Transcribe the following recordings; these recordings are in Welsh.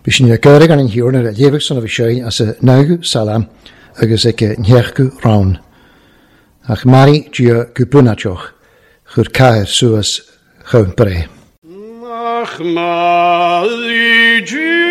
Bhí sin ag gáire gan an thiúrn ar a léamhadh san a bhí sé as a naoú salam agus ag a ndeachú rann. Ach maraí Dia go bunáiteach, chuir cathair suas chomh breith. Nach maraí Dia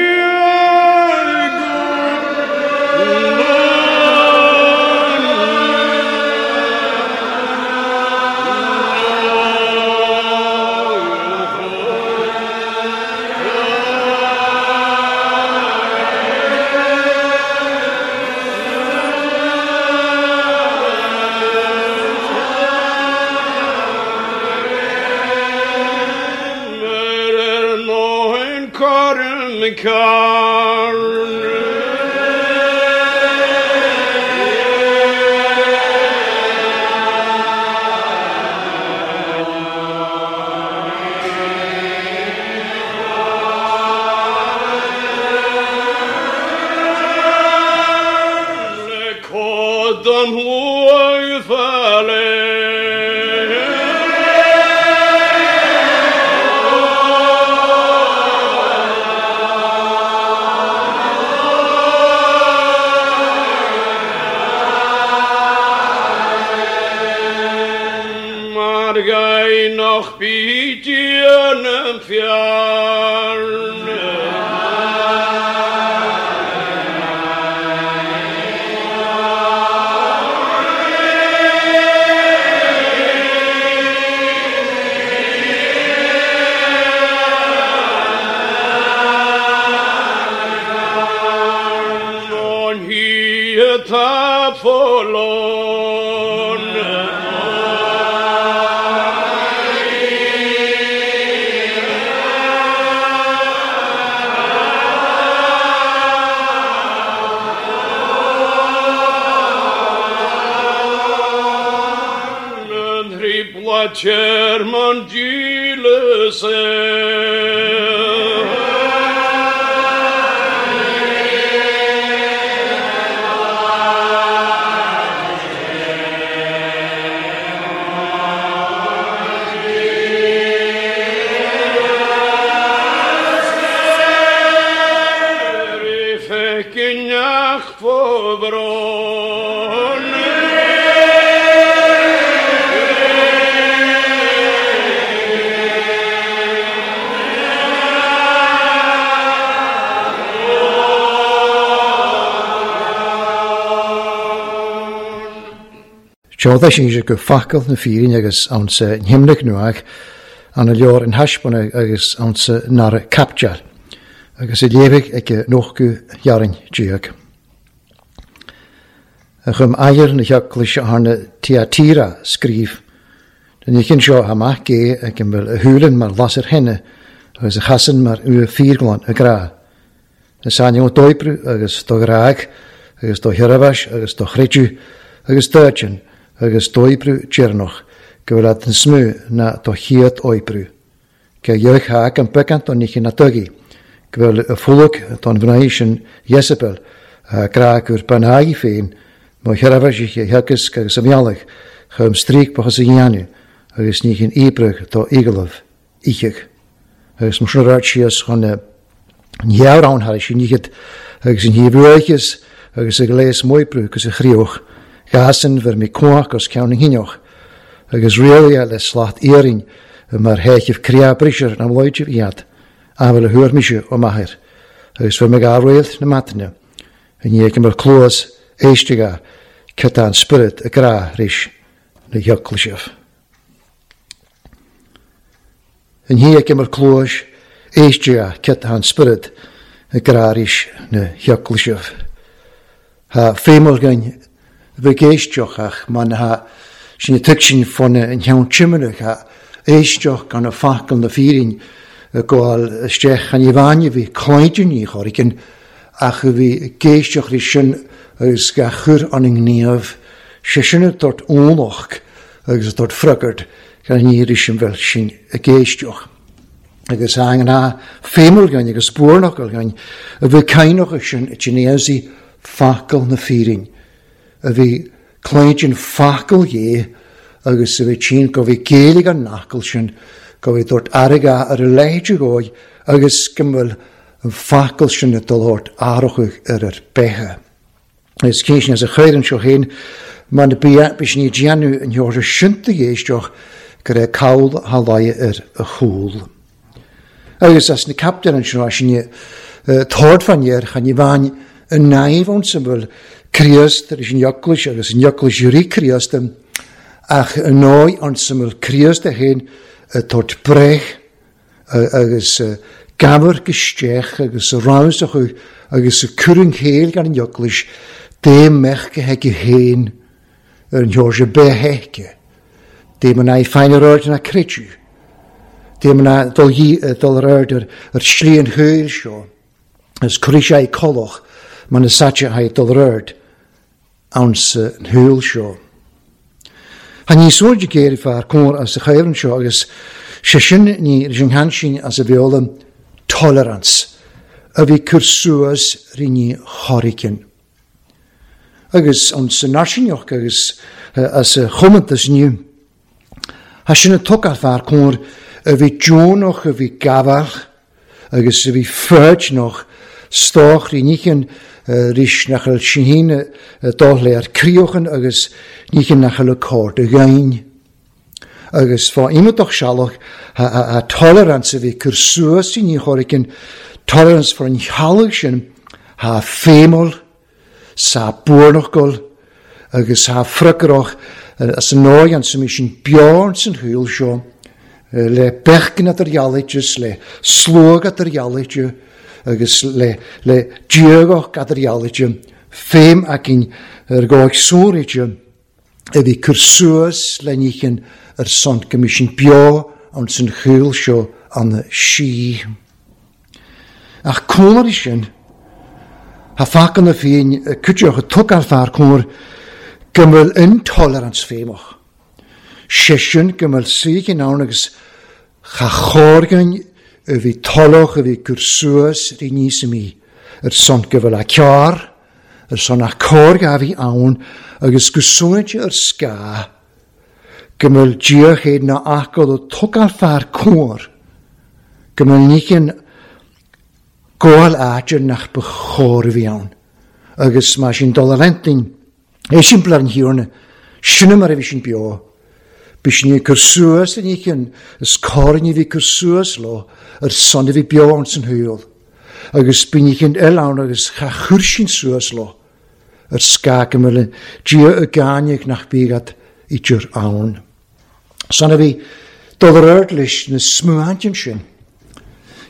Teoda sin sé go facal na fírinne agus ann sa himnach nuach an a leor in thaispeána agus ann sa nara capteal agus i léamhaigh ag nóchú dhearainn déag. A chum aighear na heaglais arna Tiatira scríobh. Den oíche seo amach gé ag an bhfuil a shúileann mar lasair thine agus a chasann mar ua fíorghlan a grá. Is ainm d'oibriú agus do ghrág agus do sheirbhís agus do chreideamh agus d'áiteann agus d'oibriú deireanach go bhfuil agat níos mó ná do chéad oibriú. Cé gheobhaidh thá an beagán don oíche na dugaí, go bhfuil a pholg don mhnaoi sin Jezebel a grá gur bean í féin mo sheirbhísigh a theagasc agus a mhealladh chum stríocbachas a dhéanamh agus ní hin oibreadh do eaglaibh oícheadh. Agus mar sin a raibh síos chun na ngearán thar sin oíchead agus an thaobh uaicheas agus a ghléas moibriú agus a chríoch ghasan bhur mí cuach os ceann na hinneach agus rialaithe le slat iarainn mar sheicheamh creá brisear na mbloideamh iad amhail a thuar mise ó m'athair agus bhur mbeidh réalt na maidne i ndiaidh go mbeadh cluas éisteacha cad tá an spiorad ag rá arís na heaglaisibh. I ndiaidh go mbeadh cluas éisteacha cad tá an spiorad ag rá arís na heaglaisibh. Tá feidhm againn a bheith ag éisteacht ach má tá sin ag tuigsint fána an cheann timireach a éisteacht gan a focal na fírinne ag gabháil isteach chan ní bhain a bhí cloíte ní chorcaigh ach a bhí ag éisteacht leis sin agus ga chur an ngníomh sé sin ag tabhairt ualach agus ag tabhairt freagairt gan ní arís an bhfuil sin ag éisteacht. Agus a ngnáth feidhm againn agus buarnach againn a bhí cainneach sin i dTinéasi focal na fírinne, a bhí cloíte an focal dhé agus a bhí tinn go bhí Gaeilge an fhocal sin, go bhí dúirt airgead ar a leithéid dhóigh agus go bhfuil. an focal sin ag dul ort athrachaidh ar ar beithe. Is cén sin as a chuir anseo féin mar na bia bhí sin ag déanamh an sheoirse sin do éisteach go raibh call thá laighe ar a chúl. Agus as na captaen anseo as sin tabhairt fan air chan ní bhain an naomh ann sa bhfuil Críost tar éis an Eaglais agus an Eaglais rí Críost ach an ndóigh ann sa bhfuil Críost é féin ag tabhairt breith agus gabhar isteach agus a rabhas acu agus a cur an chéill gan an Eaglais dé mbeadh go haige féin ar an Sheoirse beitheice, dé mná féin ar aird ná creideamh, dé mná dul dul ar aird ar shlí an shaoil seo, agus cuirfidh sé colach mar na saite haghaidh dul ar aird ann sa shaol seo. Tá níos airde géire fear cóir as a chaoran seo agus sé sin ní leis an gcaint sin as a bheola tolerance a bhí cur suas rinne Hurricane. Agus an sa náisiúnach agus as a chomóntas inniu. Tá sin an tugtha fear cóir a bhí deonach a bhí gabhach agus a bhí foighneach stoc rí nícheann rís nach bhfuil sin féin dul le ar críochan agus nícheann nach bhfuil a cóir do ghain. Agus fá imeacht sealach a tolerance a bhí cur suas i ní choricin tolerance for an chealg sin ha féimol sa buarnachgol agus ha friocarach as an ndóigh an sa sin beo san shaol seo le beichgin ar dhealaíteas le sluag ar dhealaíte agus le le diagach ar dhealaíte féim againn ar gcóig sóiríte a bhí cur suas le níchin ar son go mbí sin beo an san shaol seo an sí. Ach cónaí sin, Tá faca na féin cuideach a tug ar fear cóir go bhfuil intolerance féimach. Sé sin go bhfuil suíochan ann agus cha chóirgain a bhí tolach a bhí cur suas rí níos mí ar son go bhfuil a cearr, ar son a cóir a bhí ann agus go suainte ar scáth go bhfuil Dia na acáil a tug ar fear cóir go bhfuil níchin gáil áit nach ba chóir a bhí ann. Agus mar sin dul ar intinn, é sin blar an thiarna, sin mar a bhí sin beo. Bhí sin ag cur suas in íchin, is cóir ní bhí cur suas leo ar son a bhí beo ann san shaol. Agus bhí níchin eile ann agus cha chuir sin suas leo ar scáth go mbeadh Dia i gcáineadh nach bígad idir ann. San a bhí dul ar aird leis na smuaintinn sin.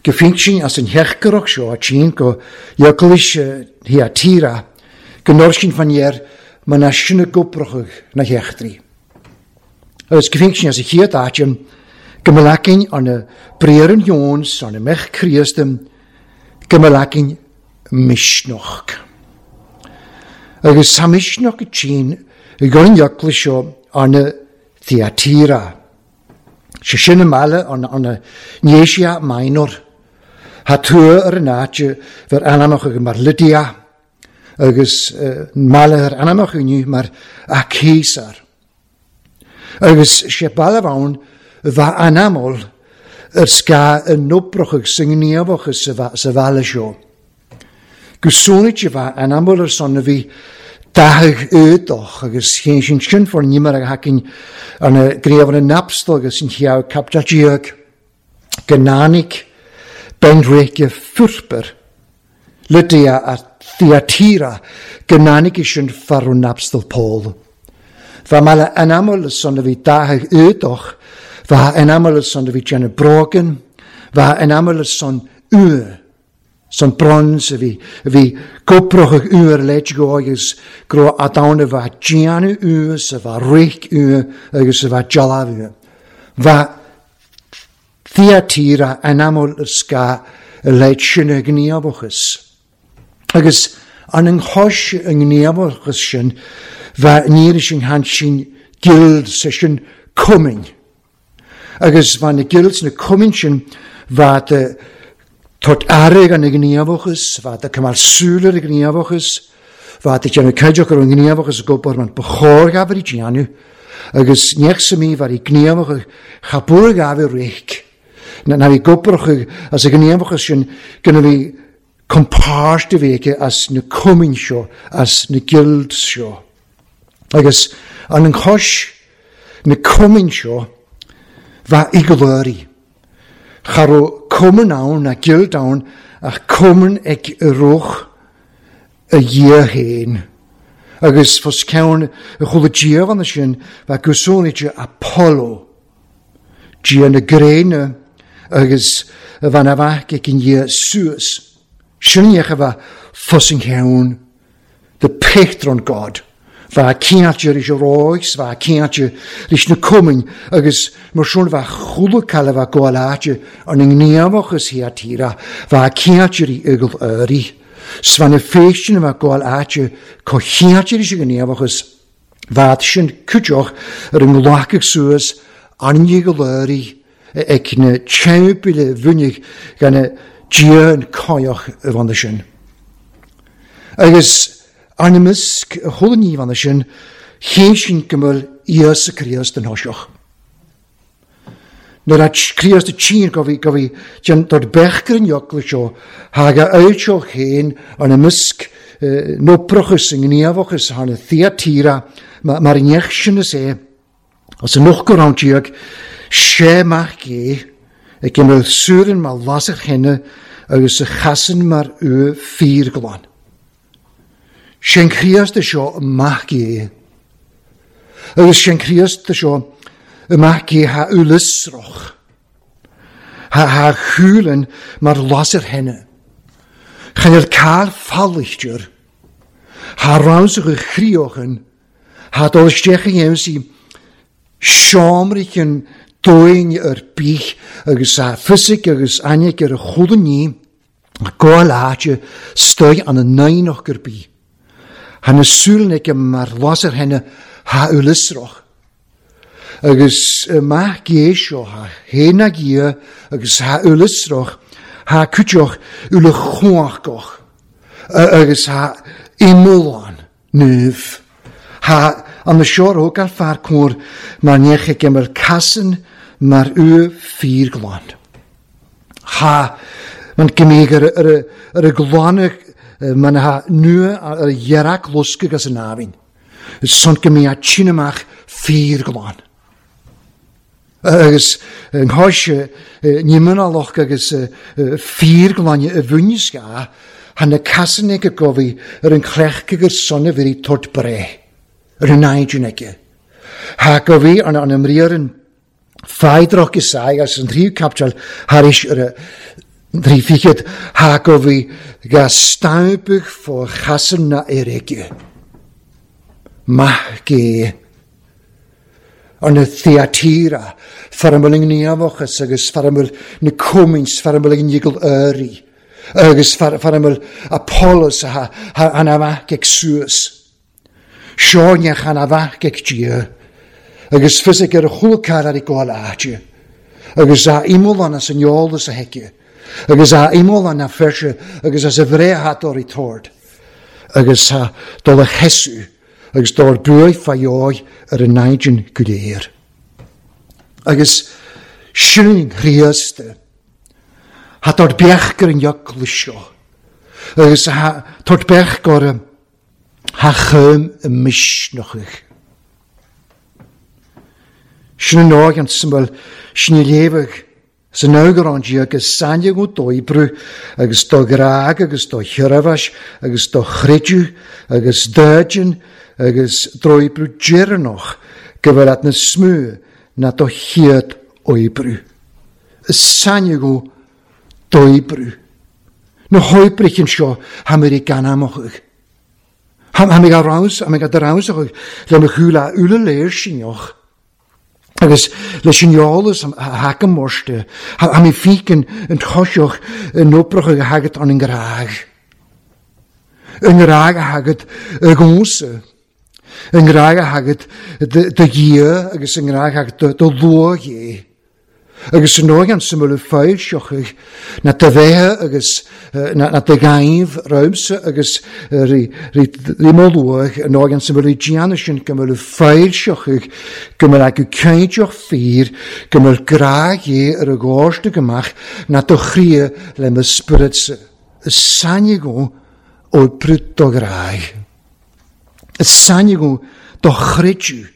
Go sin as an heachgarach seo a tsin go Eaglais Thyatira go nor sin fan dhear mar na sin a gobrachadh na heachtraí. Agus go sin as a chéad áiteam go mbeadh an na bréaran Jones an na mech Críostam go mbeadh misneach. Agus sa misneach a tsin i gcur an Eaglais seo an na Thyatira. Sé sin an mbaile an na Asia Minor. Tá tua ar an áit bhur ainmneach ag mar Lydia agus mbaile ar ainmneach inniu mar Akhisar. Agus sé baile ann bheith anamol ar scáth an obrach agus sa ngníomhach sa bhaile seo. Go sónait a bheith anamol ar son a bhí dathadh éadach agus chéin sin sin for nimar a hacain an gréamh an napstal agus an cheann captatíoch gnánic benréike furper Lydia a Thyatira gnánic sin farún napstal Paul. Bha mala anamol son a bhí dathadh éadach, bha anamol son a bhí déanamh brogan, bha anamol son ue, son bronze a bhí goprochach uair leid go agus gro a bha déanamh ue sa bha rich ue agus sa bha jalamh ue. Bha Thyatira anamol sca leid sin a gníomhachas. Agus an an chois a ngníomhachas sin bha níor sin han sin guild sa sin cumainn. Agus bha na guilds na cumainn sin bha de tot airg an gníomhachas, bha de cymal súl ar y gníomhachas, bha de déanamh caideach ar an gníomhachas go man ba chóir gabhar i déanamh, agus neach sa mí bhar i gníomhachas cha búr gabhar rich. Ná bhí gobrach as a ghníomhachas sin gona bhí compáirt a bhí aici as na cumainn seo, as na guilds seo. Agus an chois na cumainn seo bheith eaglóirí. Cha raibh cumann ann ná guild ann ach cumann ag rith a Dhia féin. Agus fos ceann a chuala diamhanna sin bheith gusúnaide Apollo, Dia na gréine agus a bhean a bheith ag an Dhia suas. Sin a bheith fos an cheann, the patron god. Bheith cinnte leis an ráis, bheith cinnte leis na cumainn agus mar sin bheith chuala cail a bheith gabháil áite an ngníomhachas thia tíre, bheith cinnte rí eagal éirí. 'S bheith na féisteanna bheith gabháil áite có chinnte leis an ngníomhachas, bheith sin cuideach ar an nglacadh suas an eagal éirí ag na teampaill bhunaigh gan Dia an cáidheach a bhana sin. Agus arna measc a chuala ní bhana sin, chéin sin go bhfuil Íosa Críost an thoiseach. Nuair a Críost a tchíonn go bhí go bhí den dord beichgur an eagla seo, thag a fhoilseodh féin arna measc n-oipreachas i ngníomhachas thar na Thyatira mar an neach sin is é As an ochtú round déag, sé mac é, ag imeall suaran mar lasair thine agus a chasann mar uaimh fíorghlan. Sé'n Críost é seo mac é. Agus sé'n Críost é seo mac é tha uileasrach. Tha tha chúlann mar lasair thine. Chan fhuil cáil fallaistear. Tha ramsach a chríochan. Thá dul isteach i MC seomraí dúinn ar bith agus a fisic agus ainic ar a chuala ní gabháil áite stoigh an naíoch ar bith. Thá na súile aici mar lasair thine thá uileasrach. Agus maith gé seo thá fhéin ag Dhia agus thá uileasrach, thá cuideach uile chumhachach agus thá iomlán naomh. Thá an seo thógáil fear cóir mar neach ag imir casan mar uaimh fíorghlan. Thá man gimígh ar a glanadh man thá nua ar a dhearc loscadh as an abhainn. Is son go mbí a tine amach fíorghlan. Agus an cháis ní mionalach agus fíorghlaine a bhuaineas thá na casanna ag gabhaidh ar an chreach gur son a bhí tort breith ar an naidin aige. Thá gabhaidh an an mbriarann Phaidreach is ea agus an tríú caipiteal thar éis ar a dtrí fichead, thá gabhaidh ga stampadh fó chasanna na éirice. Maith gé. Ar na Thyatira, far a bhfuil an gníomhachas agus far a bhfuil na cumainn, far a bhfuil an eagal éirí, agus far a bhfuil Apollos a an amach ag suas. Seo neach an amach ag Dia, agus fisic ar a chúlcar ar i gcáil áite, agus a iomlán as an eolas a theice, agus a iomlán a feirse agus as a bhréathadóirí tord, agus a dul a chesadh agus dár buaidh fá dheoidh ar a naigin go léir. Agus sin Chríost, tha dár beach gur an eaglais seo, agus tha tabhairt beach gur tha chum i misneachach. Sin an áigh an smail, sin i léamhadh san eagrán agus sainneadh d'oibriú agus do ghrág agus do sheirbhís agus do chreideamh agus d'fhéideann agus d'oibriú deireanach go bhfuil at na smú ná do chéad oibriú. Is sainneadh d'oibriú. Na hoibrithe seo tha mé ag gan amach. Tha mé ag rás, tha mé ag rás le mo chúla uile léirsinneach. Agus leis an eolas a thacaim mórste, tha mé fícin an toiseach an oipreach a thagat an ngrag. An ngrag a thagat i gcónsa. An ngrag a thagat do Dhia agus an ngrag a thagat do luath é. Agus san óighean sa mbeadh foilseochaidh na do bheithe agus na do ghaibh romhamsa agus rí mo luath an óighean sa mbeadh déanamh sin go mbeadh foilseochaidh go mbeadh acu cinnteach fíor go mbeadh grá Dhé ar a gcósta go mbeadh na do chroidhe le mo spioradsa. Is sainneadh oibre do ghrádh. Is sainneadh do chreideamh.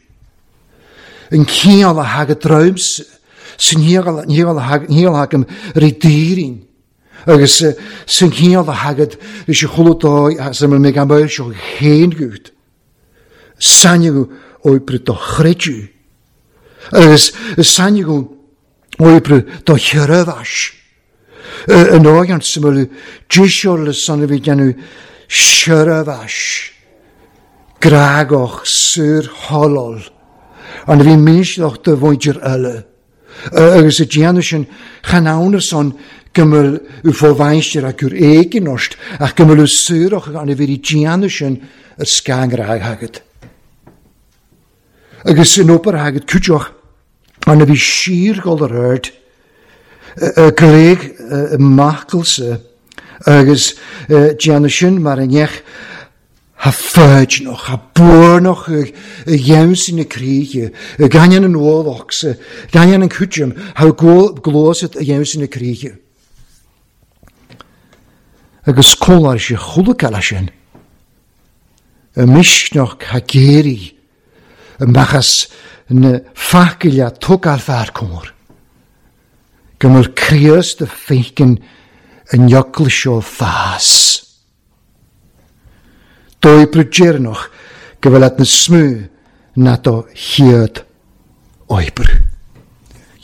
An cineál a thagadh romhamsa, san chineál a thagaim ar an daoirín, agus san chineál a thagad leis an chuile dóigh as a mbeidh an bhfuil seo féin agat. Sainneadh oibre do chreideamh, agus sainneadh oibre do sheirbheas. An dóigh an sa bhfuil deiseoir san a bhí déanamh seirbheas grágach saor tholol an a bhí misneach do mhuintir eile agus a déanamh sin chan ann ar son go mbeadh fo-mhainistir acu ar éigean ort ach go mbeadh saorach an a bhí déanamh sin ar scangrádh agat. Agus in obair agat cuideach an a bhí síorghol ar aird, glaoch macallsa agus déanamh sin mar a ndeich tha foighneach, tha buarnach i gheansaí na críche, i gcainneann an ualachsa, gcainneann an cúiteam, tha gluasat i gheansaí na críche. Agus cóláir sé chuile cealla sin, i misneach tha géirí, amach as na facail a tógáil fear cóir, go bhfuil Críost a féiceann an eaglais seo fás. D'oibriú deireanach go bhfuil at na smú ná do chéad oibriú.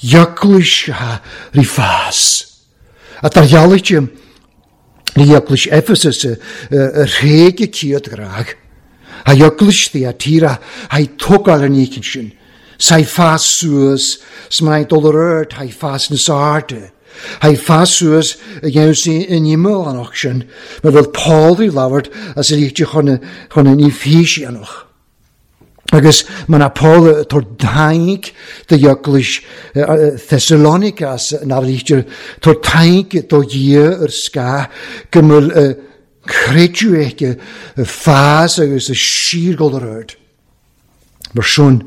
Eaglais atá rí fás. At ar ghealaigh rí eaglais Ephesus a thréig a céad ghrádh. Tha eaglais Thyatira tha tógáil an oíche sin. 'S tha fás suas 's mar dul ar aird tha fás níos airde. Tha fás suas a dhéanamh in imeall sin, mar bheadh Paul ag labhairt as a lichte chun an Eifíseanach. Agus mar a Paul ag tabhairt thainc do eaglais Thessalonica as an lichte tabhairt thainc do Dhia ar scáth go bhfuil a creideamh aici fás agus a síorghol ar aird. Mar sin,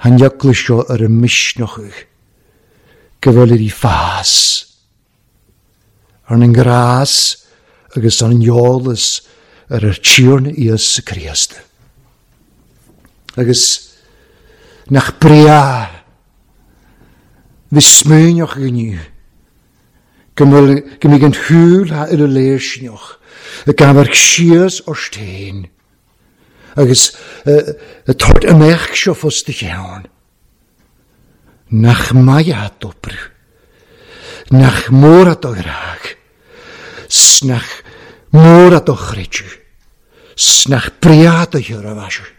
an eaglais seo ar a misneach go bhfuil uirthi fás ar an ngrás agus ar an eolas ar ar Tiarna Íosa Críost. Agus nach breá bhí smaoineach inniu go mbeidh an shúil ar a léirsneach ag amharc síos ort féin agus ag tabhairt amach seo fos do cheann. Nach maith a d'oibriú, nach mór a do ghrádh, 's nach mór a do chreideamh, 's nach breá do sheirbheas,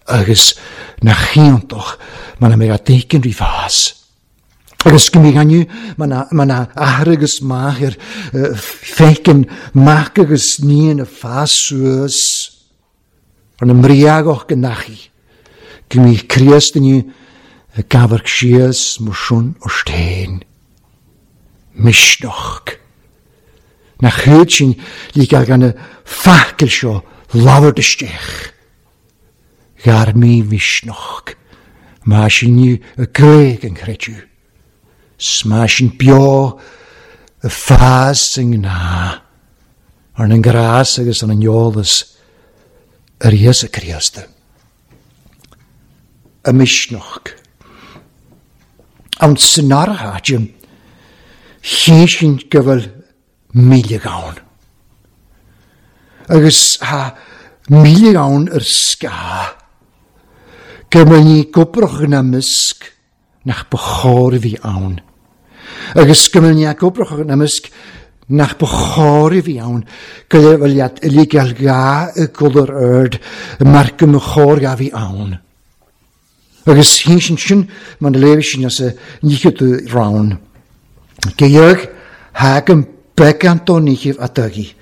agus nach iontach mar a mbeadh a dtuigeann rí fás. Agus go mbeadh inniu mar na athair agus máthair feiceann mac agus níon a fás suas ar na mbriaghach go ndeachaigh, go mbíodh Críost inniu ag amharc síos mar sin ort féin. Misneach. Nach iad sin le gan na facail seo labhairt isteach. Ghearr mí mhisneach. Má sin inniu a gcreig an chreideamh. 'S má sin beo a fás i ngnáth. Ar an ngrás agus ar an eolas ar Íosa Críost. A misneach. Ann san áirithe, chéin go bhfuil milleadh ann. Agus tá milleadh ann ar scáth. Go mbeidh ní gobrach ina measc nach ba chóir a bhí ann. Agus go mbeidh ní gobrach ina measc nach ba chóir a bhí ann, go bhfuil iad uilig ar gá i gcul ar aird mar go mba chóir a bhí ann. Agus shín sin mar na léirigh sin as a níche do rann. Geidheadh thagaim beagán dó níchibh a dtugaidh,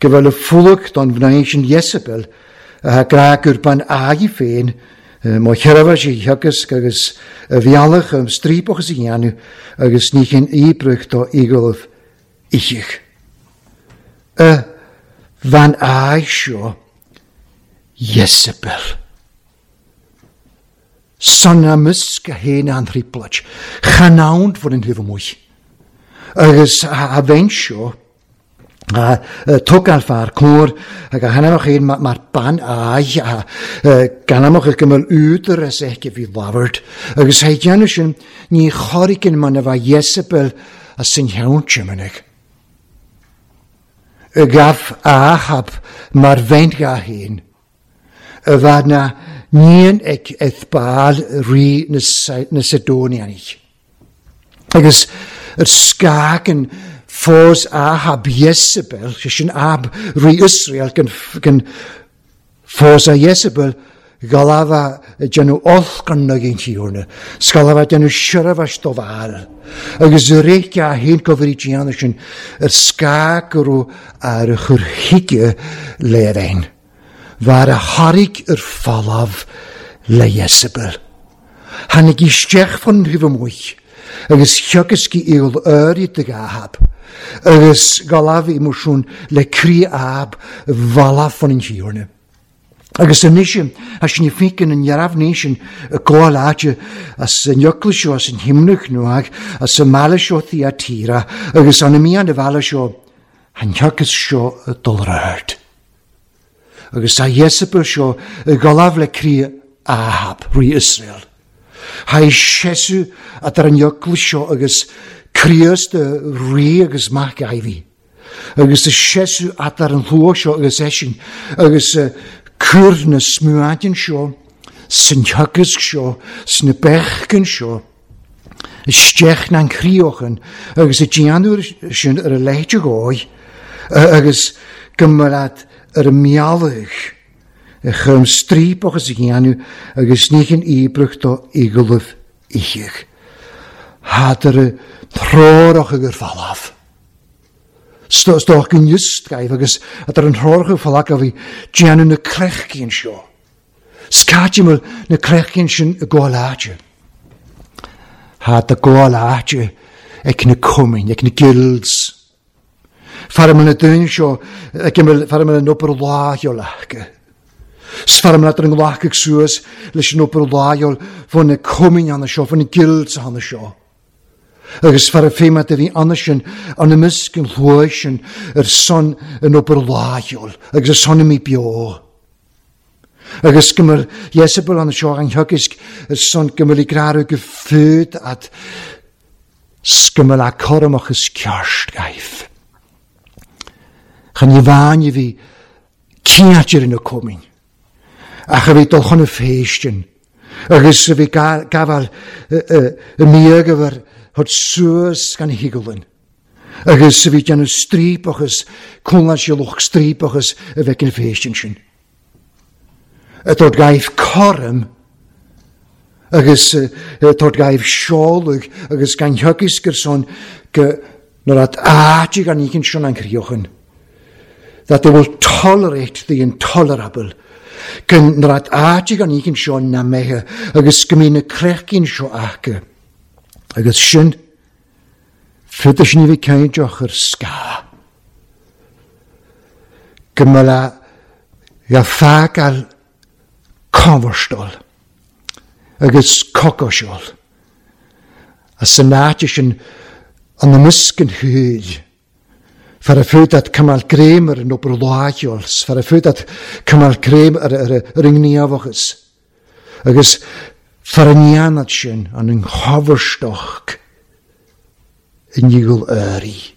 go bhfuil a fulag don mhnaoi sin Iesabel, a tha grá gur ban aghaidh féin, Mo sheirbhís a theagasc agus a bhealach um striapachas a dhéanamh agus ní hin íobrach do íogalaibh ithigh. A bhean áidh seo Iesabel. San amuisc a théann an thrioblóid, chan ann bhur an taobh amuigh. Agus a bhean seo, a tógáil fear cóir ag a hainmneach féin mar bean áidh, gan amach go mbeadh údar as aici bhí labhairt, agus a dhéanamh sin ní chorraigh an man a bheadh Iesabel as an cheann tiománaigh. Ghabh Ahab mar bhean dhá féin, a bheadh na níon ag Ethbaal rí na Sidonianach. Agus ar scagan fós Ahab Iesabel, sé sin Ahab rí Iosrael, gan fós a Iesabel, Galava ag déanamh olc an naigín Thiarna, 's Galava ag déanamh seirbheis do Bhaal, agus rith a haon go bhrí déanamh sin ar scáth go raibh ar a chur chuige le bheinn, bhar a thairg ar falamh le Iesabel. Tháinig isteach fán thaobh amuigh agus theagasc í iall áirid ag Ahab, agus Galava i mbuisún le croí Ahab bhalla fán an Thiarna. Agus anois, tá sin féin an neamhní sin i gcomhair áite as an eaglais seo, as an himnach nó as an mbaile seo Thyatira, agus an mí an bhaile seo, an theachas seo dul ar ard. Agus tá Iesabel seo i gcolámh le croí Ahab, rí Iosrael. Tá seasamh idir an eaglais seo agus Críost rí agus mac Dháiví. Agus is seasamh eadar an shlua seo agus eisean, agus cur na smuaidin seo, san teagasc seo, sna beachan seo, isteach na gcríochan, agus a déanamh sin ar a leithéid de dhóigh, agus go mbeadh ar a mbealach a chur striapachas a dhéanamh agus ní hin íobrach do eaglaibh ithigh. Thádar a threorach agur falamh. Stoc an ioscaibh agus at ar an threorach falac a bhí déanamh na creichcín seo. Scaiteamhail na creichcín sin i gcomhair áite. Thá do gcomhair áite ag na cumainn, ag na guilds. Fear na daoine seo ag fear an obair láicheol acu. 'S fear an nglacadh suas leis an obair láicheol fá na cumainn anna seo, fá na guilds anna seo. Agus fear a féimead a bhí anna sin, an imeasc an shluaigh sin ar son an obair láicheol agus ar son a mí beo. Agus go mbeadh Iesabel anna seo an theagasc ar son go mbeadh gráradh go fud fhad 's go mbeadh a coramach is ceart gaibh. Chan ní bhean a bhí cinnte ar na cumainn, ach a bhí dul chun a phéistin, agus a bhí gabháil i mbíog a bhur thabhairt suas gan higealann, agus a bhí déanamh striapachas, cúnláil sí lucht striapachas a bheith an phéistin sin. A tabhairt gaibh cothrom agus a tabhairt gaibh seoladh agus gan theagasc ar son go nuair at áit gan ícinn sin an chríochan. That they will tolerate the intolerable. Go nuair at áit gan ícinn seo na meithe agus go mbíonn na creichín seo acu. Agus sin, féadfaidh sin a bheith cainteach ar scáth. Go mbeadh a fágáil comharstáil agus cocáiseáil as an áit sin an imeasc an shaoil. Fear a fud at cymal grym ar an obair láicheoil, fear a fud at cymal grym ar ar an ngníomhachas. Agus fear an dhéanad sin an nghabharstoc i ndíol earraí.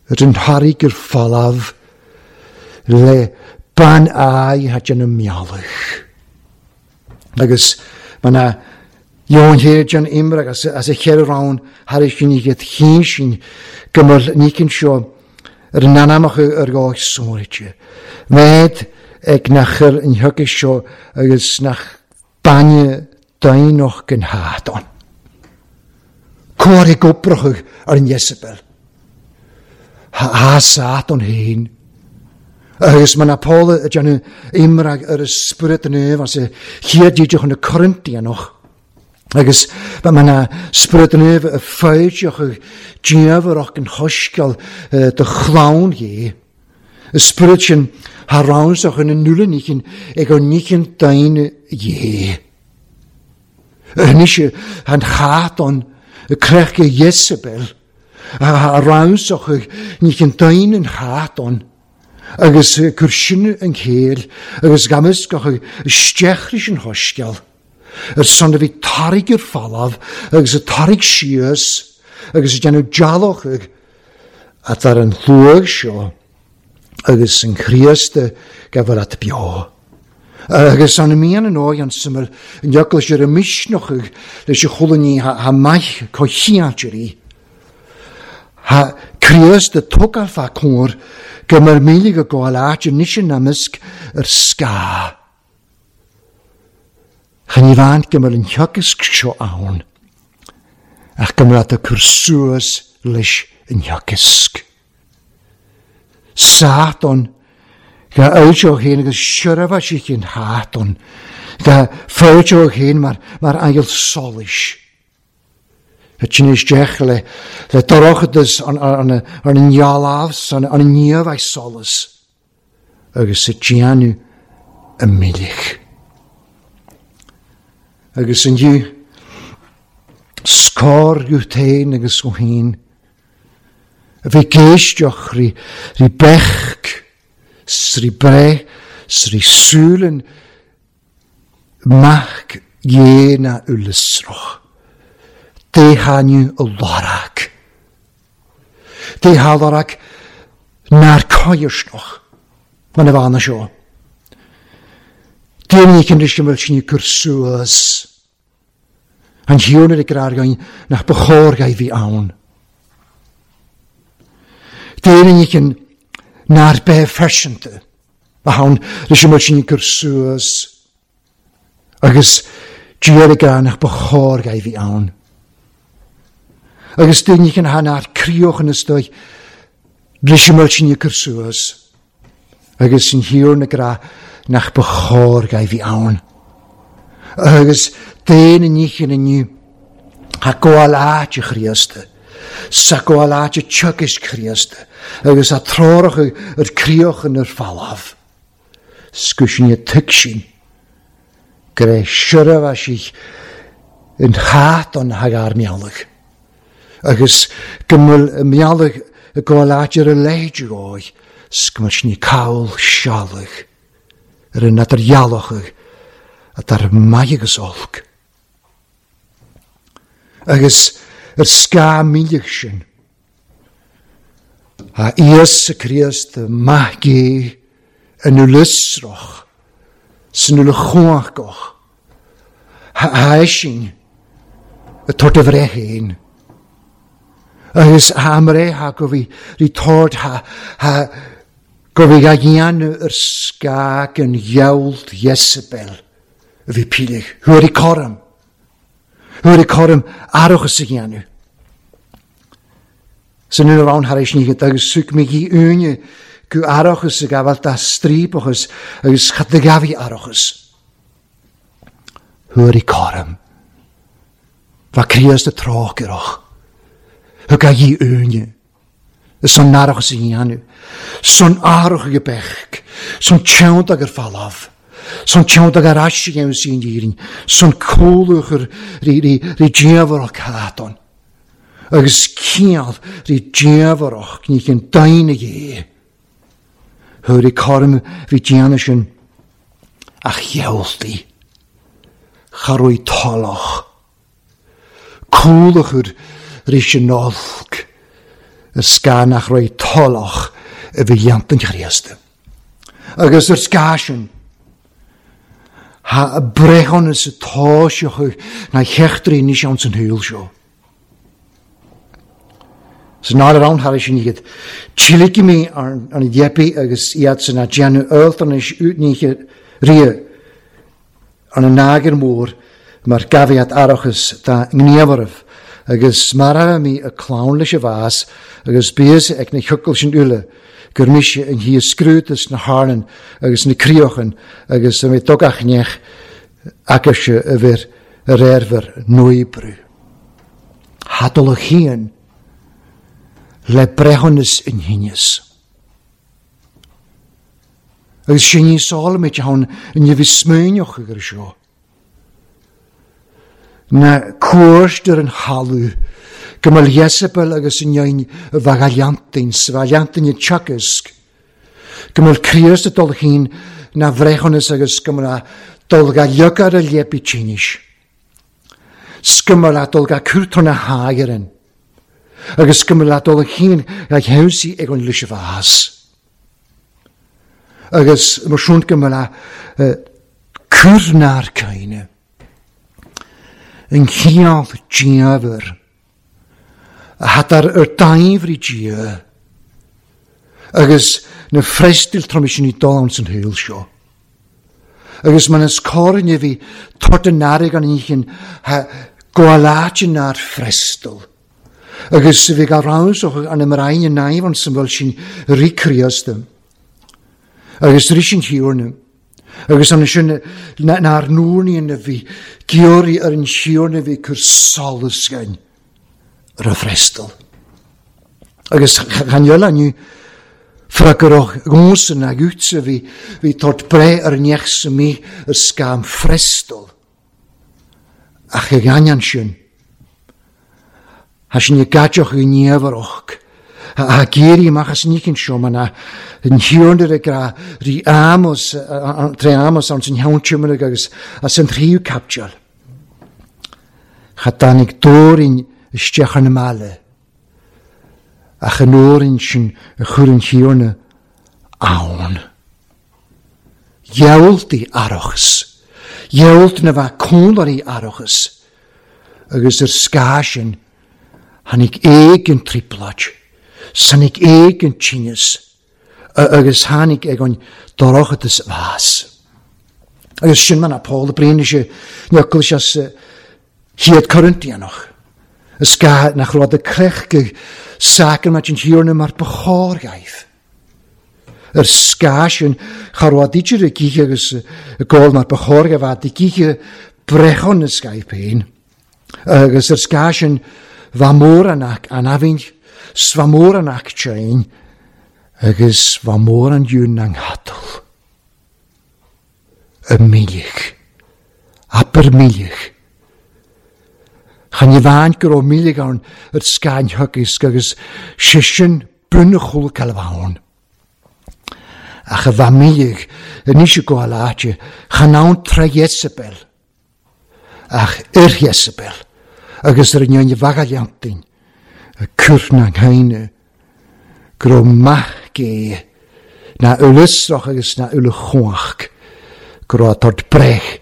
Ar an tharraig ar falamh le bean aghaidh a déanamh meallach. Agus mana Johan Héir an imre agus as a cheithre rann thar sin iad chinn sin go mbeadh nícinn seo ar an anamach ar dhá sóirte. Mhéad ag nach ar an thiocfaidh seo agus nach bainne daonach den hátán. Cóir ag obrachadh ar an Iesabel. Há Sátán féin. Agus mar ná Paul ag déanamh iomrá ar an Spiorad Naomh as a chéad dídeach chun na Corintianach, agus mar ná Spiorad Naomh a foilseochadh diamharach an Shoiscéal do chlann Dhé, an Spiorad sin thar rannsach ina n-uile-nícheann ag ár nícheann daoine Dhé. Anois an chat ann, creach Iesabel, a rannsach nícheann daoine an chat ann, agus cur sin an chéill agus gamascach isteach leis an shoiscéal, ar son a bhí tarraig ar falamh agus a tarraig síos agus a déanamh dealach at ar an shluagh seo agus an Chríost go bhfuil at beo. Agus an mian an óigh an suimil an eaglais ar a misneach leis a chuala ní ha maith cothchiáitirí. Ha Críost a tógáil fá cóir go mar míle go gabháil áit anois in amasc ar scáth. Cha ní bhean go mbeadh an theagasc seo ann ach go mbeadh tú cur suas leis an theagasc. Sátan, ga fhoilseodh féin agus seirbhísigh an tSátain, ga foilseodh féin mar mar aingil solais. Thit isteach le le dorchadas an an an ngealabhas an an niamh solas agus sa déanamh a milleadh. Agus inniu, scor go féin agus ó féin, a bheith ag éisteacht rí rí beach 's rí breith 's rí súileann mac Dhé ná uileasrach. Dé thaitneamh a lorg. Dé thá lorg nár coirsneach mar na bheanna seo. Déan ní cinn go bhfuil sin ag cur suas. An chiúin ar a gcrargain nach ba chóir a bhí ann. Déan ní cinn nár bheith faiseanta a thann leis an bhfuil sin ag cur suas agus d'iarraidh a nach ba chóir a bhí ann. Agus déan ní cinn nár críoch ina stoigh leis an bhfuil sin ag cur suas agus an thiar na grá nach ba chóir a bhí ann. Agus d'aon ní chin inniu, tá gabháil áite Chríosta, sa gabháil áite teagaisc Chríosta, agus tá treoracha ar críochan ar falamh. Scuisne tuigsin go raibh seirbhísigh in chat an thagar mealladh, agus go bhfuil a mealladh ag gabháil áit ar a leithéid dhóibh, 's go mbeadh sin call sealbh ar an idirdhealach atá ar maith agus olc. Agus ar scáth míleach sin, a Íosa Críost maith gé in uileasrach san uile chumhachach, a eisin a tabhairt a bhreith féin. Agus a mbreith ha go bhí rí tabhairt ha ha go bhí a dhéanamh ar scáth an ghealt Jezebel a bhí píligh. Thuar i coram. Thuar i coram aireachas a dhéanamh. San ina raibh thar éis ní agus suc mé dhi úine go aireachas a gabháil dá stríopachas agus cad a ghabhaí aireachas. Thuar i coram. Bha Críost a trócaireach. Thug a dhi úine. San aireachas a dhéanamh. San aireach ag beach. San teann agur falamh. San teann agur ais a dhéanamh sí an dhírinn. San cúlúchar rí rí rí diamharach cátán. Agus ciall rí diamharach ní chin daoine dhé. Thuar i coram bhí déanamh sin ach ghealltaí. Cha raibh tollach. Cúlachar ris an olc ar scáth nach raibh tollach a bhí dhéanta an Chríosta. Agus ar scáth sin, ha breithiúnas atá seo na heachtraí anois ann san shaol seo. San áireamh ann thar sin iad, tíligfidh mé an dheipí agus iad san a déanamh eoltanais útníche ria an an eagair mór mar gabh iad aireachas dá ngníomhaireamh Agus mara mí a clann leis a bhás agus bíos ag na hiocail sin uile gur mise an hí a scrúdas na harnan agus na críochan agus a mé dugach nech agaise a bhir ar éirmhar nuibriú. Hadal a chian le breithiúnas in thinneas. Agus sin ní sálamid ann in bhí smaoineach agur seo. Na cuairt ar an thalamh go mbeadh Jezebel agus an neoin bhagailleantain sa bhaileantain i teagasc, go mbeadh Críost ag dul chinn na bhreithiúnas agus go mbeadh dul ga liogar a léipi tínis. 'S go mbeadh dul ga cúrtó na hÁireann agus go mbeadh dul chinn ga cheansaí ag an Luisibhás. Agus mar sin go mbeadh cur nár caoine. An chineál diamhair a thadar ar daimhrí Dia agus na freastail trom sin i dul ann san shaol seo. Agus man is cóir a bhí tort an airg an oícheann ha gabháil nár freastal. Agus bhí ga ramsach an imraine naimh an san bhfuil sin rí Críosta. Agus rí sin thiarna. Agus an sin nár nuairníonn a bhí giorraí ar an thiarna bhí cur solas againn ar a freastal. Agus chan eile inniu freagrach gúnsan a gútsa bhí bhí tort breith ar an neach sa mí ar scam freastal. Ach ag ainneoin sin, Tá sin i gcaiteach i ndiamhrach. A géirí amach as an seo man an thiarna ag rá rí Amos, tré Amos an san cheann agus as an tríú caipiteal. Cha dtáinig dóirín isteach ar na mbaile. Ach an uairín sin a chuir an thiarna ann. Dheabhaltaí arachas. Dheabhalt na bheith cónairí arachas. Agus ar scáth sin tháinig éag an trioblóid, tháinig éag an tinneas, agus tháinig ag an dorchadas bhás. Agus sin mar a Paul a bríonn sé neocail sé sa chéad Corintianach. Is gá nach raibh de crech go sacrament an Thiarna mar ba chóir gaibh. Ar scáth sin cha raibh idir a gcíche agus a gcóil mar ba chóir gaibh a gcíche brechon na scaibh féin. Agus ar scáth sin bha mór an aibhinn, 's bha mór an aicteáin, agus bha mór an dún an ghatal. Y milich. Aber milich. Chan i bhain go raibh milich ann ar scáin thugas agus sé sin bunachúil calbhán. Ach a bha milich anois i gcóil áite, chan ann tre Jezebel. Ach ar Jezebel, agus ar an neoin bhagailleantain, a cur na nghaine, go raibh maith gé, na uileasrach agus na uile chumhach, go raibh tort breith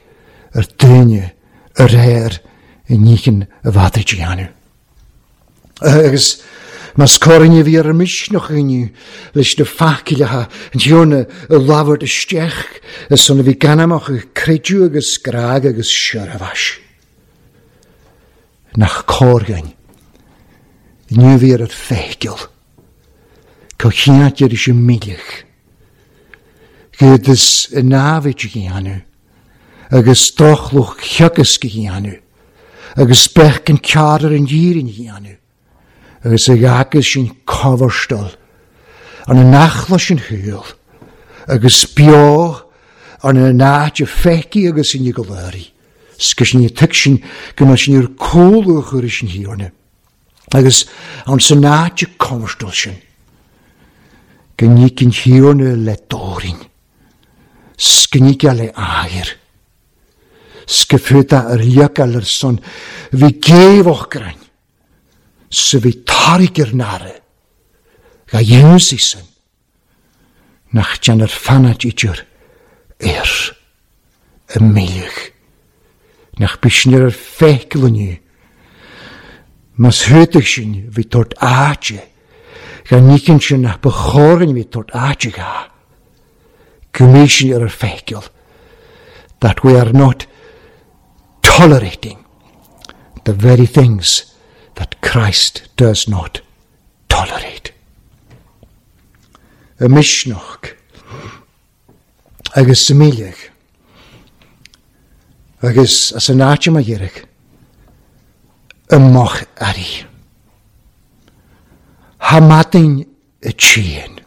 ar duine ar air i níchin a bhfadaí dhéanamh. Agus más córainne bhí ar an misneach inniu leis na facileacha an tiarna a labhairt isteach is son a bhí ganamach ag creidiú agus grág agus seirbheis. Nach cóir inniu bhí ar feicil go cheantar is an míleach. Gud is a námhaid a dhéanamh agus drochluch theagasc a dhéanamh agus beidh an cearr ar an dhírin a dhéanamh agus a ghagas sin coverstall an an nachla sin thuil agus beo an an áit a feicí agus in goléirí. Sgus sin tuig sin go mbeadh sin ar cólu a chur sin thiarna. Agus an san áit a coverstall sin go nícinn thiarna le dóirín. Sgníge le áir. Scifuta ar leacail ar son bhí géamhach grain. Sa bhí tairg ar nare. Ga dhéansaí san. Nach déan ar fanad idir ar y míleach. Nach bí sin ar feicil inniu. Mas thuitach sin bhí tort áite. Ga nícinn sin nach ba chórainn bhí tort áite ga. Go mí sin ar feicil. That we are not tolerating the very things that Christ does not tolerate. Y misneach agus sa mhilleadh agus as an áit a iarraidh i moch airí. Tha maidin a tséan.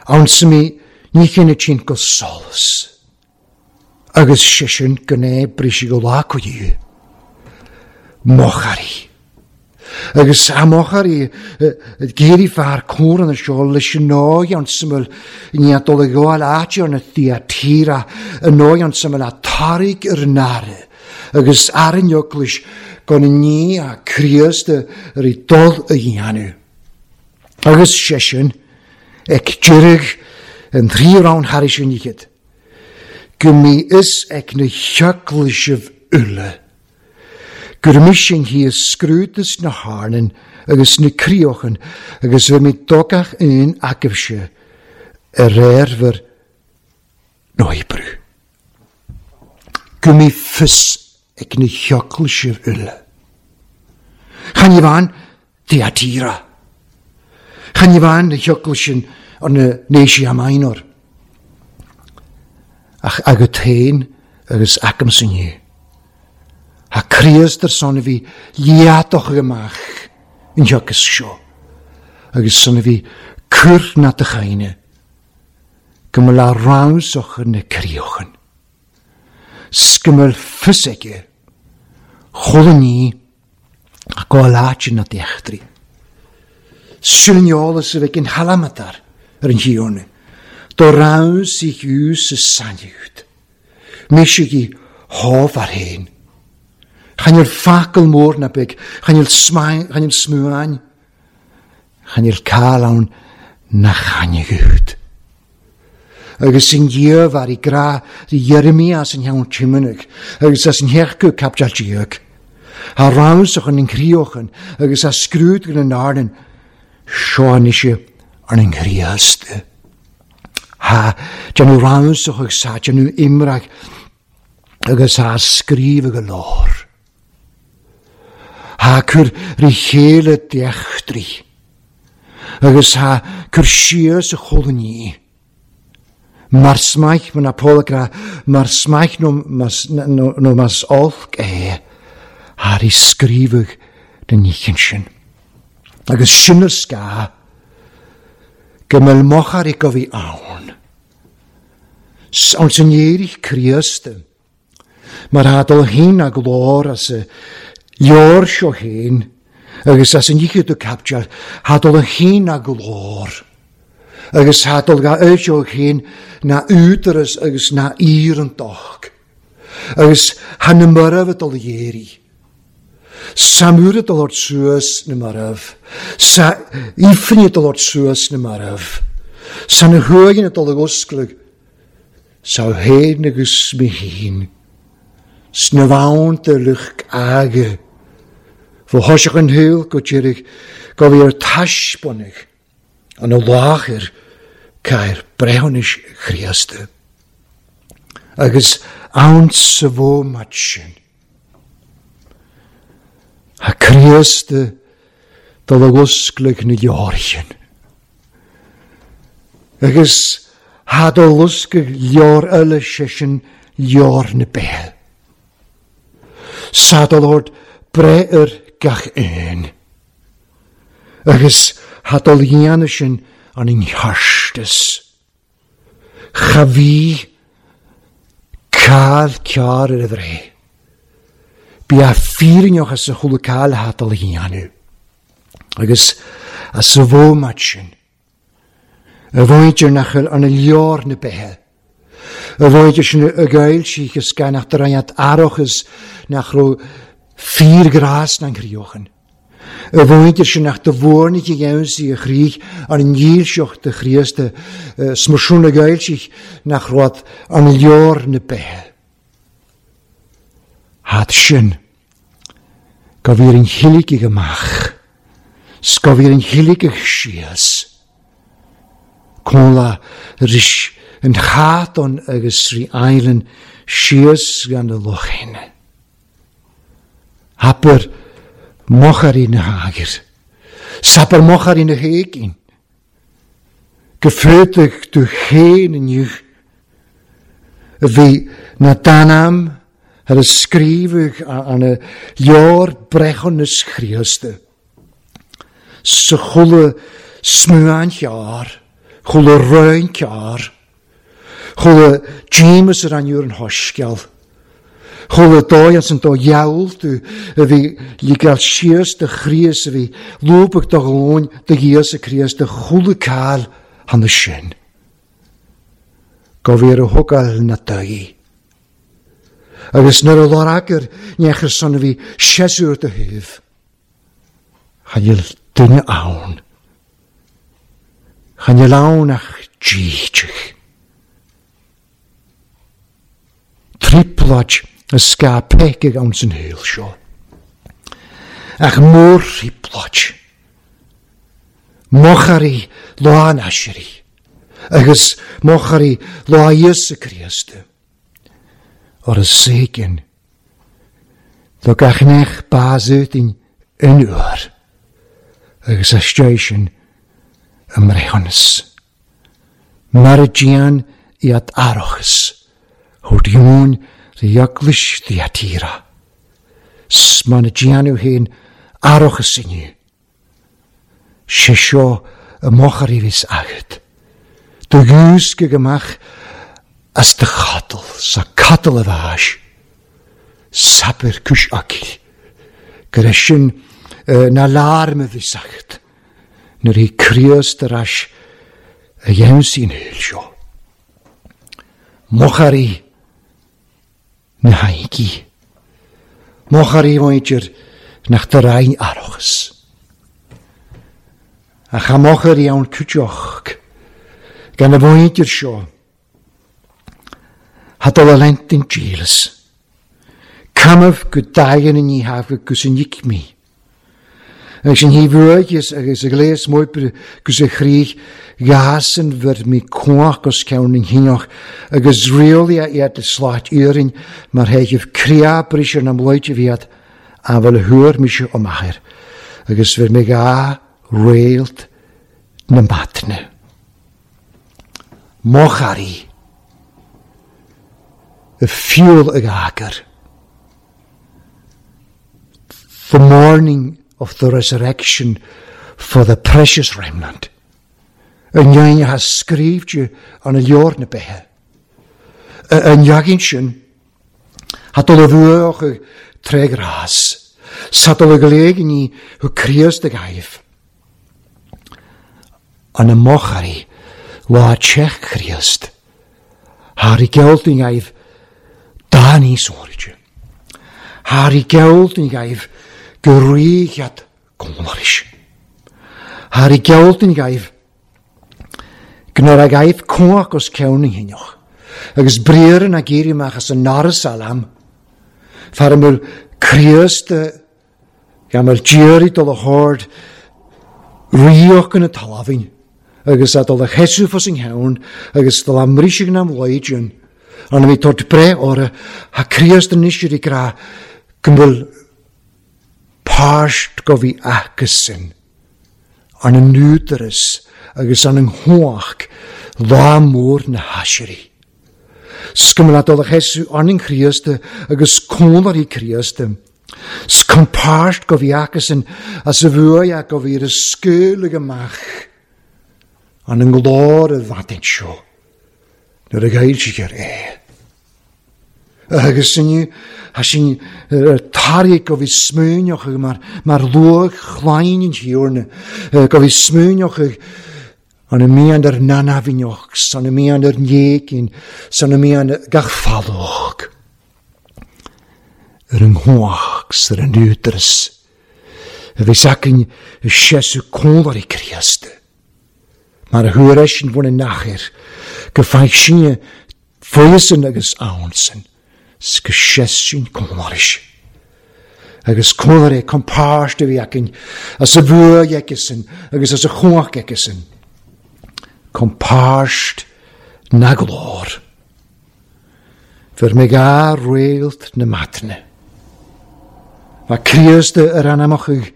Ann sa mí ní chin a tséan go solas agus sé sin go n-oibrigh sí go lá go dtí moch airí. Agus a moch airí ag iarraidh fear córa na seo leis an ndóigh ann sa mbeal i ndiaidh dul ag gabháil áit ar na Thyatira i ndóigh ann sa mbeal a tarraig ar an aire agus ar an eaglais gan an ní a Críost ar i dul a dhéanamh. Agus sé sin ag deireadh an tríú roinn thairis an fhichead, go mbí fhios ag na heaglaisibh uile gur mise an thíos scrúdas na harnan agus na críochan agus bheidh mé do gach aon agaibhse ar réir bhur n-oibriú. Go mbí fios ag na heaglaisibh uile. Chan amháin Thyatira. Chan amháin na heaglais sin ar na n-Asia Minor, ach agat féin agus agamsa inniu. Tá Críost ar son a bhí liatach amach an thiocfas seo, agus son a bhí cur na do chaoine, go mba le rannsach na críochan. 'S go mbeadh fios aige chuile ní ach go láidir na d'eachtraí. Sin an eolas a bheidh in Halamatar ar an Thiarna, do raibh sí fiú sa sainiúd. Mise gi hábhar féin. Chan fhuil focal mór ná beag, chan fhuil smuain, chan fhuil cáil ann nach tháinig. Agus in dhiaidh bhar i grá rí Irimia as an cheann Tiomanaigh agus as an theach go Caipdeal Déag. Thá ramsach an chríochan agus á scrúd go na n-ardan seo anois ar an Chríost. Thá déanamh ramsach agus thá déanamh imreach agus thá scríobh go leor. Thá cur rí chéile d'eachtraí agus thá cur síos a cholainní. Mar smaith, mar ná Pól ag rá, mar smaith nó nó más olc é, thar i scríobhadh den oíche sin. Agus sin is gá go mbeadh mochairí go bhí ann. Ann san éiric Críost, mar thá dul féin a glór as a leabhar seo féin agus as an oíche do caipteal, thá dul féin a glór agus thá dul ga seo féin ná údaras agus ná iarrantacht agus thá na mairbh ag dul dhéirí. Sa mhuir ag dul ort suas na mairbh, sa ifrinn ag dul ort suas na mairbh, sa na huaigheanna ag dul ag oscladh, Sa fhéin agus mé fhéin, sna bhfonnta lucht aga, fo thoiseach an shaol go deiridh go bhí ar taispeánadh an láthair cathair breithiúnais Chríosta. Agus ann sa bhómat sin, tá Críost dul ag oscladh na leabhair Agus thá do loscadh leabhar eile, sé sin leabhar na beithe. 'S thá do lord breith ar gach aon. Agus thá do dhéanamh sin an cheartas. Cha bhí cáil cearr ar a bhreith. Bí a fírinneach as a chuala cáil thá do dhéanamh. Agus as a bhómat sin, a mhuintir nach bhfuil arna leor na beithe, a mhuintir sin a ghoill is gan ach do roinnt aireachas nach raibh fíorghrás na gcríochan, a mhuintir sin nach do mhórnaigh a dhéansaí a chrích ar an ndílseacht do Chríost, 's mar sin a ghoill nach raibh arna leor na beithe. Thad sin. Go bhfíor an chiligigh amach 's go bhfíor an chiligigh síos. Comhla ris an chaton agus rí island síos gan na lochin. Haper Machairí na hAgair. Sabair machairí na hÉiginn. Go féadfaidh tú féin inniu a bhí na d'ainm ar a scríobhadh an leabhar breithiúnas Chríosta. Sa chuile smuan chearr, chuile roinn cearr, chuile díomas ar an an shoiscéal, chuile dóigh as an dó gheall tú a bhí ligeáil síos do Chríost a bhí lúbadh do ghlúin do Íosa Críost do chuile cáil cheana sin. Go bhí ar a thógáil na daoí. Agus nuair a lorgair neachar san a bhí séasúr do thaobh, cha níl duine ann. Cha níl ann ach dídeach. Trioblóid a scaip pecaigh ann san shaol seo. Ach mórthrioblóid. Machairí lá an aiséirí agus machairí lá Íosa Críost. Ar a saoigin do gach neach bás-útain in uair agus aisteoidh sin i mbreithiúnas. Mar a déan iad aireachas thabhairt dheoin rí eaglais Thyatira. 'S mar a déanadh féin aireachas inniu. 'Sé seo a machairí bhíos agat. Do dhiúscaigh amach as do chatal, sa catal a bháis. Sabair cúis Acaill, gur é sin na lárim a bhíos agat nuair a bhí Críost ar ais a dheimhsigh an shaol seo. Machairí na haghaidh. Machairí maidir nach do roinn aireachas. Ach a machairí ann cuideoch gan a mhuintir seo. Ha dul a lent in díleas. Camamh go daighean i ní thaobh gus in icmí. Agus an thaobh uaigheas agus a ghléas m'oibre gus a chríoch ghásan bhur mí cuach os ceann an chineach agus rialaigh iad le slait iarainn mar théidimh criá briseadh na mbloighte bhíad an bhfuil a thuar mise ó m'athair agus bhur mí dhá réalt na maidne. Mo charaí, a fiúl ag eagar. The morning of the resurrection for the precious remnant. An ndein a scríobhte an leabhar na beithe. An ndeaghain sin, ha dul a bhuach tré ghrás, sa dul a gléiginí hu Críost ag aibh. An a mochairí lá teach Chríost, thar i gceol den aibh dá níos áiride. Thar i gceol den aibh go ríghead cónaris. Thar i gceol den aibh gnar ag aibh cuach os ceann na hinneach, agus briathra na gcéirí amach as an ndoras alam, fear a bhfuil Críost gan bhfuil d'iarraidh dul a hord ríoch na talmhain, agus a dul a sheasamh fos an cheann, agus dul a mbriseadh na mbloighdean, an bhí tabhairt breith orthu, tá Críost anois ar a grá go bhfuil páirt go bhí acusan, an an údaras agus an an chumhacht lá mór na haiséirí. 'S go mbeadh a dul a sheasamh an an Chríost agus cónairí Críost. 'S chun páirt go bhí acusan as a bhuaidh go bhí ar a scaoileadh amach an an nglór a bhfadaint seo nuair a ghoilltear é. Agus inniu, tá sin tarraigh go bhí smaoineochaidh mar mar luach chlainn an Thiarna, go bhí smaoineochaidh an a mbíonn ar nanamhneach, san a mbíonn ar néigin, san a mbíonn gach fallóg, ar an gcumhacht 's ar an údaras a bhí s'againn i seasamh cónairí Críost, mar a thuar eisean bhun an achair, go bhfaigh sinne fóidheasan agus ansan, 's go seas sinn cónairis. Agus cónairí compáirt a bhí againn as a bhuaidh aigesan agus as a chumhacht aigesan. Compáirt na glór. Bhur mé dhá réalt na maidne. Bha Críost ar anamachaidh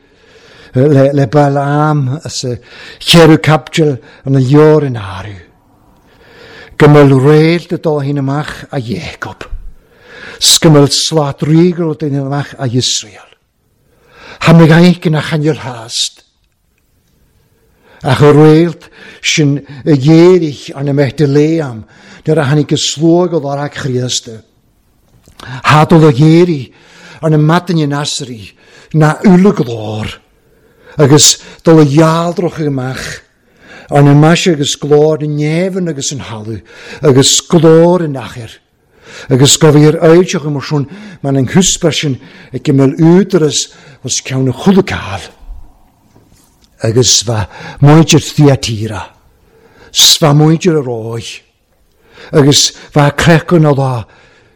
le Balaam as a cheathrú caibidil an leabhar in áireamh. Go mbeadh réalt ag dul féin amach a Jacob, 's go mbeadh slat ríoga ag dul amach a Iosrael. Tha mé ag ina choinneal theast. Ach a réalt sin a ghéirigh arna mbeith de léam nuair a tháinig a slua go lorg Chríosta. Thá dul a ghéirigh arna maidin in asraí ná uile-ghlór, agus dul a dhealrachadh amach arna maise agus glór na neamhan agus an thalamh, agus glór an achair. Agus go bhí ar fhoilseachadh mar sin man an chuspa sin ag go mbeadh údaras os ceann a chuile cáil. Agus bha muintir Thiatira, 's bha muintir a Róimh, agus bha creachadh na lá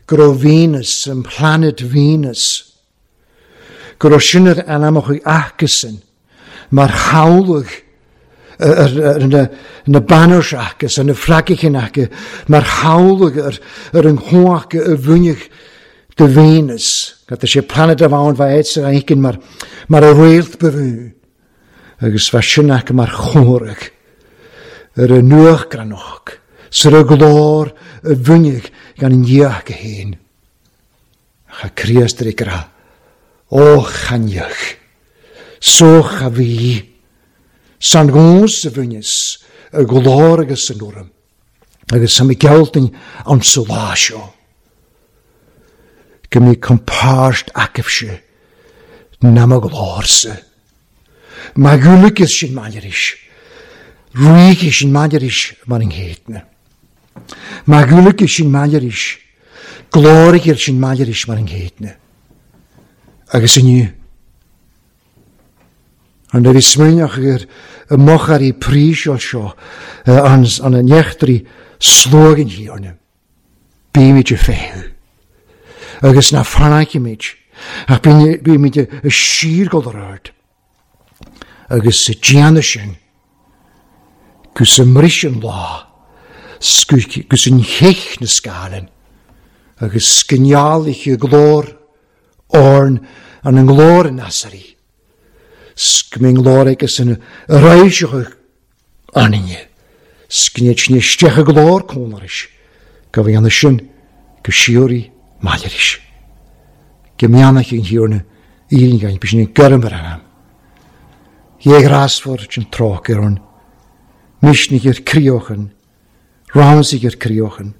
go raibh Venus, an planet Venus, go raibh sin ar anamacha acusan mar chabhlaigh ar na banners acu, ar na fragaichin acu, mar chabhlaigh ar an chumhacht a bhainfeadh de Venus. Tá sé planet amháin bheith sa éigin mar a réalt ba bhú, agus bheith sin acu mar chomhrac ar a nuachgranach, 's ar a glór a bhainfeadh gan an Dhia acu féin. Ach a Chríost ar a grá, ó chainneach, sóch a bhí, san gcós a bhaineas a ghlór agus an urraim, agus tá mé gealltain ann sa lá seo, go mbeidh compáirt agaibhse ná mo ghlórsa. Má ghualaigheas sin maille arís, ríghe sin maille arís mar an gcéadna. Má ghualaigheas sin maille arís, glóirighear sin maille arís mar an gcéadna. Agus inniu, an raibh smaoineach ar y mochairí príseol seo an an neachtraí sluagan thiarna. Bímid ag feitheamh agus ná fanaicimid, ach bímid ag síorghol ar ard. Agus sa déanamh sin, gus a mbris an lá, gus an cheich na scáileann, agus go ndealaithe glór Orn an an nglór in Asairí, 's go mbeidh nglór aige san réiseach ionainne, 's go ndéid sin isteach i gclár cónarais, go bhféadfaidh sin go síoraí maille arís. Go mbeannaithe an Thiarna Éirinn againn, b'shin an gairm ar anam. Dhé ghrásmhar sin trócaire orainn, misnigh ar críochan, Ramsaigh ar críochan,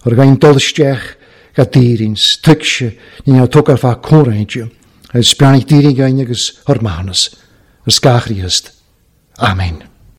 ar ghain dul isteach ga d'Éirinn, 's tuigse ní raibh tugtha ar feadh comhroinnte, agus beannaigh d'Éirinn againn agus ár maithiúnas, ar scáth Chríost. Amen.